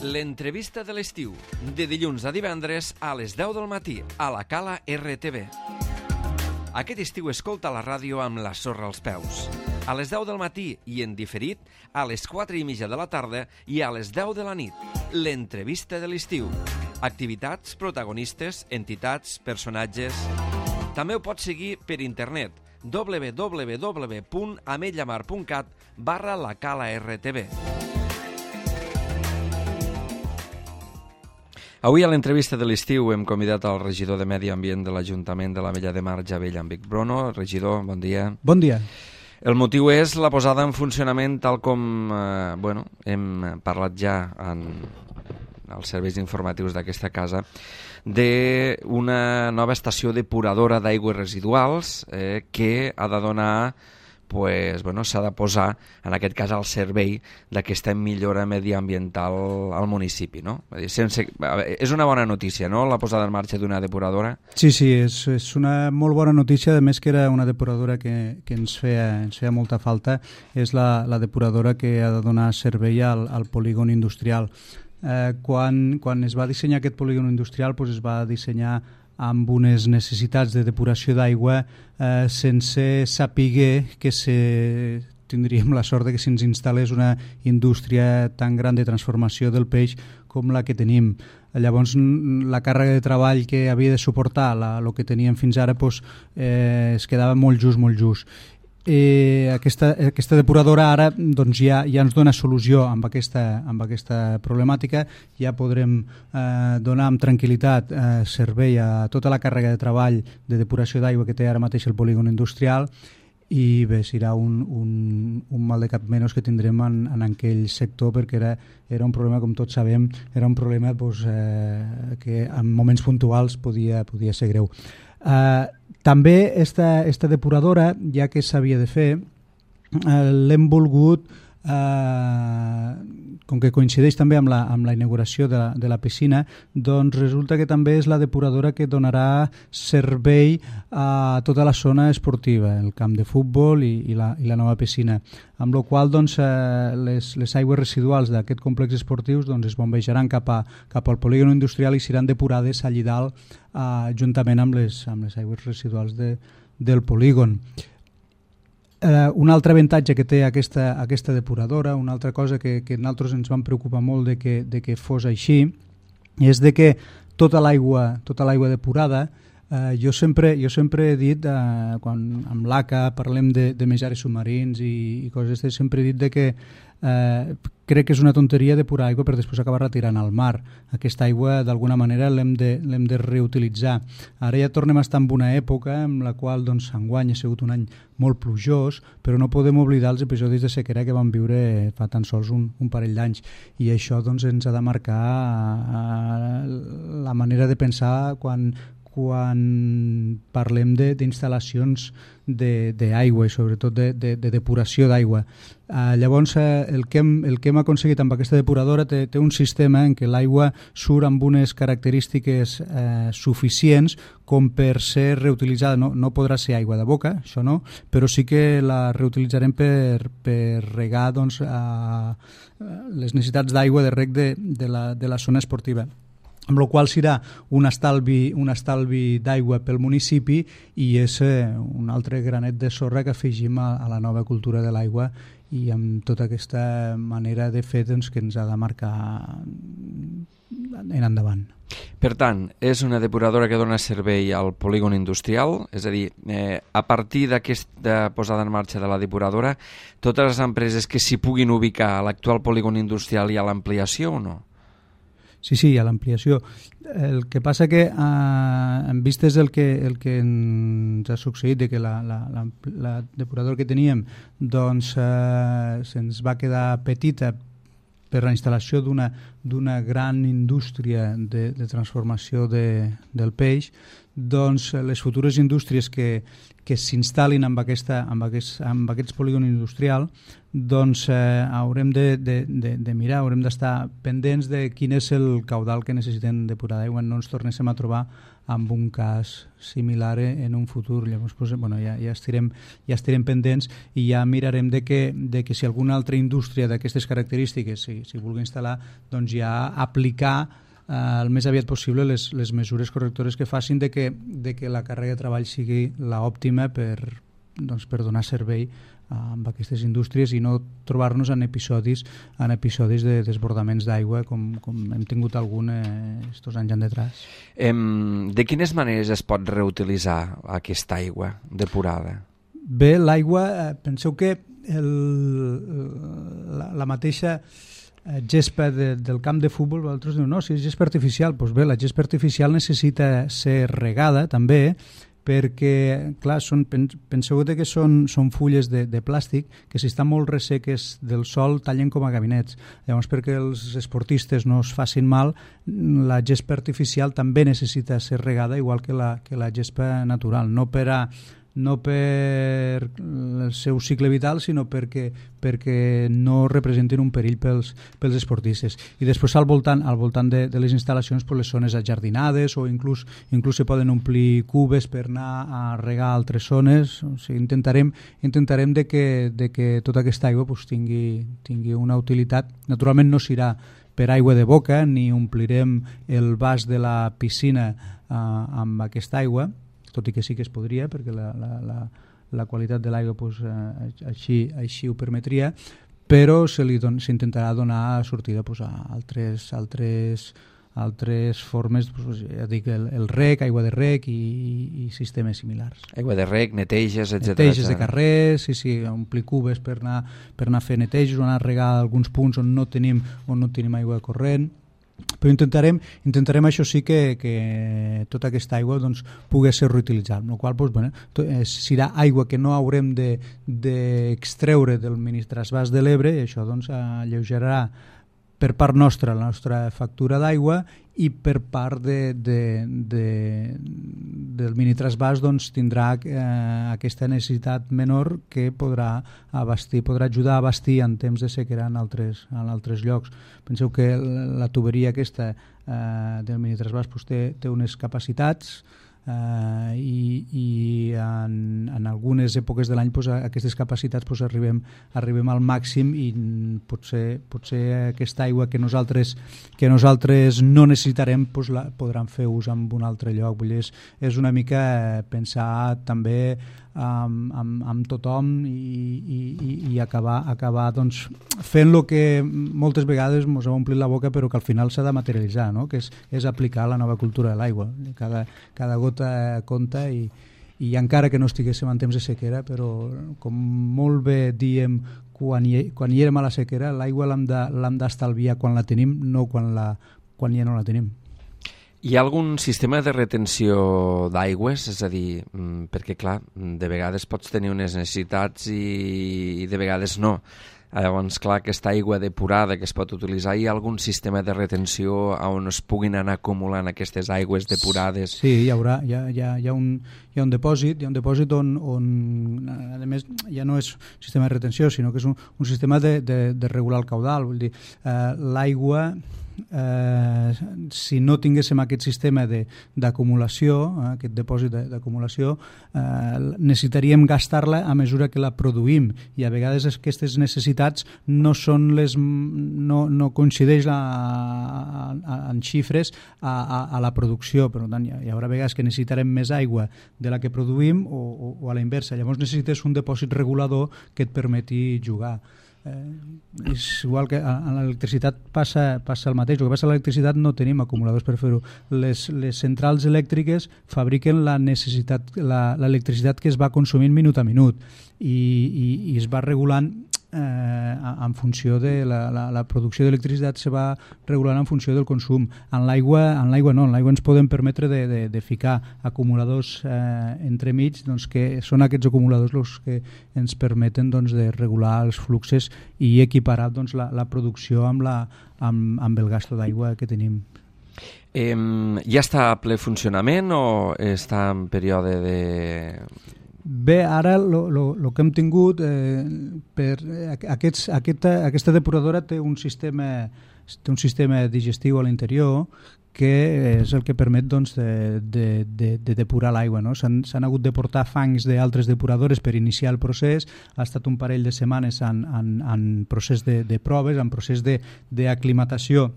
L'entrevista de l'estiu, de dilluns a divendres a les 10 del matí, a la Cala RTV. Aquest estiu escolta la ràdio amb la sorra als peus. A les 10 del matí i en diferit, a les 4:30 de la tarda i a les 10 de la nit. L'entrevista de l'estiu. Activitats, protagonistes, entitats, personatges... També ho pots seguir per internet www.ametlllamar.cat/la Cala RTV. Avui a l'entrevista de l'estiu hem convidat el regidor de Medi Ambient de l'Ajuntament de l'Ametlla de Mar, Javé Llambic Brono. Regidor, bon dia. Bon dia. El motiu és la posada en funcionament, tal com hem parlat ja en els serveis informatius d'aquesta casa, d'una nova estació depuradora d'aigües residuals que ha de donar, s'ha de posar, en aquest cas, al servei d'aquesta millora mediambiental al municipi, no? És una bona notícia, no?, la posada en marxa d'una depuradora. Sí, és una molt bona notícia, a més que era una depuradora que ens feia molta falta. És la depuradora que ha de donar servei al polígon industrial. Quan es va dissenyar aquest polígon industrial, es va dissenyar amb unes necessitats de depuració d'aigua sense saber que tindríem la sort de que se'ns instal·lés una indústria tan gran de transformació del peix com la que tenim. Llavors, la càrrega de treball que havia de suportar el que teníem fins ara es quedava molt just. Aquesta depuradora ara ja ens dona solució amb aquesta problemàtica. Ja podrem donar amb tranquil·litat servei a tota la càrrega de treball de depuració d'aigua que té ara mateix el polígon industrial, i bé, serà un mal de cap menys que tindrem en aquell sector, perquè era un problema, com tots sabem, era un problema que en moments puntuals podia ser greu. També esta depuradora, ja que s'havia de fer, l'hem volgut, com que coincideix també amb la inauguració de la piscina, doncs resulta que també és la depuradora que donarà servei a tota la zona esportiva, el camp de futbol i la nova piscina, amb la qual les aigües residuals d'aquest complex esportius es bombejaran cap al polígon industrial i seran depurades allí dalt juntament amb les aigües residuals del polígon. Un altre avantatge que té aquesta depuradora, una altra cosa que nosaltres ens vam preocupar molt de que fos així, és de que tota l'aigua depurada, jo sempre he dit, quan amb l'ACA parlem de menjars submarins i coses d'aquestes, sempre he dit de que crec que és una tonteria depurar aigua per després acabar retirant al mar. Aquesta aigua d'alguna manera l'hem de reutilitzar. Ara ja tornem a estar en una època en la qual enguany ha sigut un any molt plujós, però no podem oblidar els episodis de sequera que vam viure fa tan sols un parell d'anys, i això ens ha de marcar la manera de pensar quan parlem d'instal·lacions d'aigua i sobretot de depuració d'aigua. Llavors, el que hem aconseguit amb aquesta depuradora té un sistema en què l'aigua surt amb unes característiques suficients com per ser reutilitzada. No podrà ser aigua de boca, això no, però sí que la reutilitzarem per regar les necessitats d'aigua de reg de la zona esportiva, amb la qual serà un estalvi d'aigua pel municipi, i és un altre granet de sorra que afegim a la nova cultura de l'aigua, i amb tota aquesta manera de fer que ens ha de marcar en endavant. Per tant, és una depuradora que dona servei al polígon industrial, és a dir, a partir d'aquesta posada en marxa de la depuradora, totes les empreses que s'hi puguin ubicar a l'actual polígon industrial hi ha l'ampliació o no? Sí, hi ha l'ampliació. El que passa que, en vistes el que ens ha succeït, de que la depuradora que teníem se'ns va quedar petita per la instal·lació d'una gran indústria de transformació del peix, les futures indústries que s'instal·lin amb aquests polígons industrials, haurem de mirar, haurem d'estar pendents de quin és el caudal que necessiten depurar d'aigua. No ens tornéssim a trobar amb un cas similar en un futur. Llavors, ja estarem pendents, i ja mirarem de que si alguna altra indústria d'aquestes característiques s'hi vulgui instal·lar, doncs ja aplicar el més aviat possible les mesures correctores que facin de que la càrrega de treball sigui l'òptima per donar servei amb aquestes indústries i no trobar-nos en episodis de desbordaments d'aigua com hem tingut algun estos anys endetrás. De quines maneres es pot reutilitzar aquesta aigua depurada? Bé, l'aigua, penseu que la mateixa gespa del camp de futbol, vosaltres diu, no, si és gespa artificial, doncs bé, la gespa artificial necessita ser regada també, perquè, clar, penseu que són fulles de plàstic que si estan molt resseques del sol tallen com a gabinets. Llavors, perquè els esportistes no es facin mal, la gespa artificial també necessita ser regada, igual que la gespa natural, no per el seu cicle vital, sinó perquè no representin un perill pels esportistes. I després al voltant de les instal·lacions, les zones ajardinades o inclús se poden omplir cubes per anar a regar altres zones. O sigui, intentarem de que tota aquesta aigua tingui una utilitat. Naturalment no serà per aigua de boca, ni omplirem el vas de la piscina amb aquesta aigua, tot i que sí que es podria, perquè la qualitat de l'aigua així ho permetria, però s'intentarà donar sortida a altres formes, ja dic, el rec, aigua de rec i sistemes similars. Aigua de rec, neteges, etc. Neteges de carrers, sí, omplir cubes per anar a fer neteges o anar a regar alguns punts on no tenim aigua corrent. Però intentarem això sí que tota aquesta aigua pugui ser reutilitzable, amb la qual cosa serà aigua que no haurem d'extreure del minitrasvàs de l'Ebre, i això alleujarà per part nostra la nostra factura d'aigua, i per part del minitrasvàs tindrà aquesta necessitat menor que podrà ajudar a abastir en temps de sequera en altres llocs. Penseu que la tuberia aquesta del minitrasvàs té unes capacitats i en algunes èpoques de l'any aquestes capacitats arribem al màxim, i potser aquesta aigua que nosaltres no necessitarem podran fer ús en un altre lloc. Vull dir, és una mica pensar també amb tothom i acabar fent el que moltes vegades ens ha omplit la boca però que al final s'ha de materialitzar, no? Que és aplicar la nova cultura de l'aigua. Cada gota compta, i encara que no estiguéssim en temps de sequera, però com molt bé diem quan hi érem a la sequera, l'aigua l'hem d'estalviar quan la tenim, no quan ja no la tenim. Hi ha algun sistema de retenció d'aigües? És a dir, perquè clar, de vegades pots tenir unes necessitats i de vegades no. Llavors, clar, aquesta aigua depurada que es pot utilitzar, hi ha algun sistema de retenció on es puguin anar acumulant aquestes aigües depurades? Sí, hi ha un depòsit, on a més ja no és un sistema de retenció, sinó que és un sistema de regular el caudal. Vull dir, l'aigua, si no tinguéssim aquest sistema d'acumulació, aquest depòsit d'acumulació, necessitaríem gastar-la a mesura que la produïm, i a vegades aquestes necessitats no coincideix en xifres a la producció. Per tant, hi haurà vegades que necessitarem més aigua de la que produïm o a la inversa. Llavors necessites un depòsit regulador que et permeti jugar. És igual que en l'electricitat passa el mateix. El que passa a l'electricitat no tenim acumuladors per fer-ho. Les centrals elèctriques fabriquen l'electricitat que es va consumint minut a minut, i es va regulant en funció de la producció d'electricitat, se va regulant en funció del consum. En l'aigua no, en l'aigua ens podem permetre de ficar acumuladors entremig, que són aquests acumuladors els que ens permeten de regular els fluxes i equiparar la producció amb el gasto d'aigua que tenim. Ja està a ple funcionament o està en període de... Bé, ara el que hem tingut aquesta depuradora té un sistema digestiu a l'interior que és el que permet de depurar l'aigua, no? S'han hagut de portar fangs d'altres depuradores per iniciar el procés. Ha estat un parell de setmanes en procés de proves, en procés d'aclimatació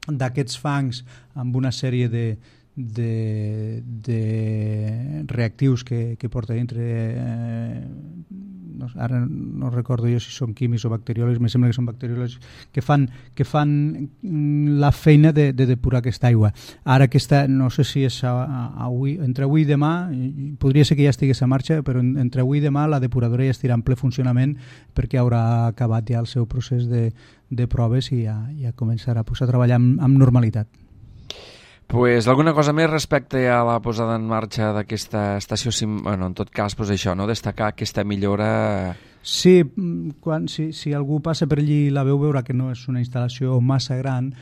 d'aquests fangs amb una sèrie de reactius que porta dintre, ara no recordo jo si són químics o bacteriòlegs, me sembla que són bacteriòlegs, que fan la feina de depurar aquesta aigua. Ara no sé si és entre avui i demà, podria ser que ja estigués a marxa, però entre avui i demà la depuradora ja estirà en ple funcionament perquè haurà acabat ja el seu procés de proves i ja començarà a treballar amb normalitat. Pues alguna cosa més respecte a la posada en marxa d'aquesta estació, bueno, en tot cas, pues això, no? Destacar aquesta millora... Sí, si algú passa per allí i la veu, veurà que no és una instal·lació massa gran,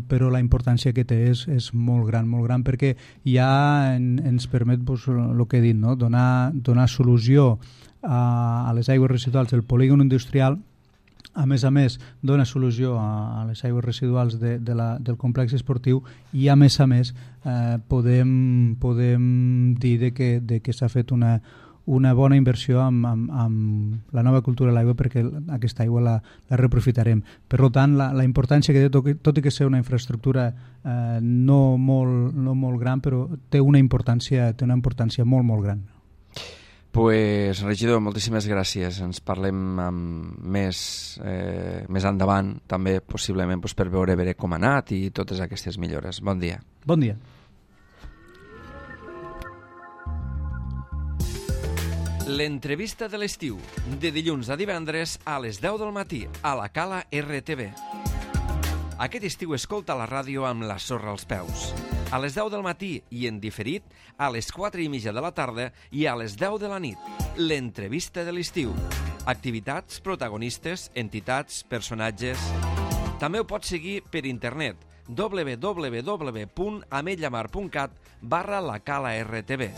però la importància que té és molt gran, perquè ja ens permet el que he dit, no? donar solució a les aigües residuals del polígon industrial. A més, dona solució a les aigües residuals del complex esportiu i, a més, podem dir que s'ha fet una bona inversió amb la nova cultura de l'aigua, perquè aquesta aigua la reaprofitarem. Per tant, la importància que té, tot i que sigui una infraestructura no molt gran, però té una importància molt, molt gran. Pues, regidor, moltíssimes gràcies. Ens parlem més endavant, també possiblement per veure com ha anat i totes aquestes millores. Bon dia. Bon dia. L'entrevista de l'estiu, de dilluns a divendres a les 10 del matí, a la Cala RTV. Aquest estiu escolta la ràdio amb la sorra als peus. A les 10 del matí i en diferit a les 4:30 de la tarda i a les 10 de la nit. L'entrevista de l'estiu. Activitats, protagonistes, entitats, personatges... També ho pots seguir per internet www.ametlllamar.cat/la Cala RTV.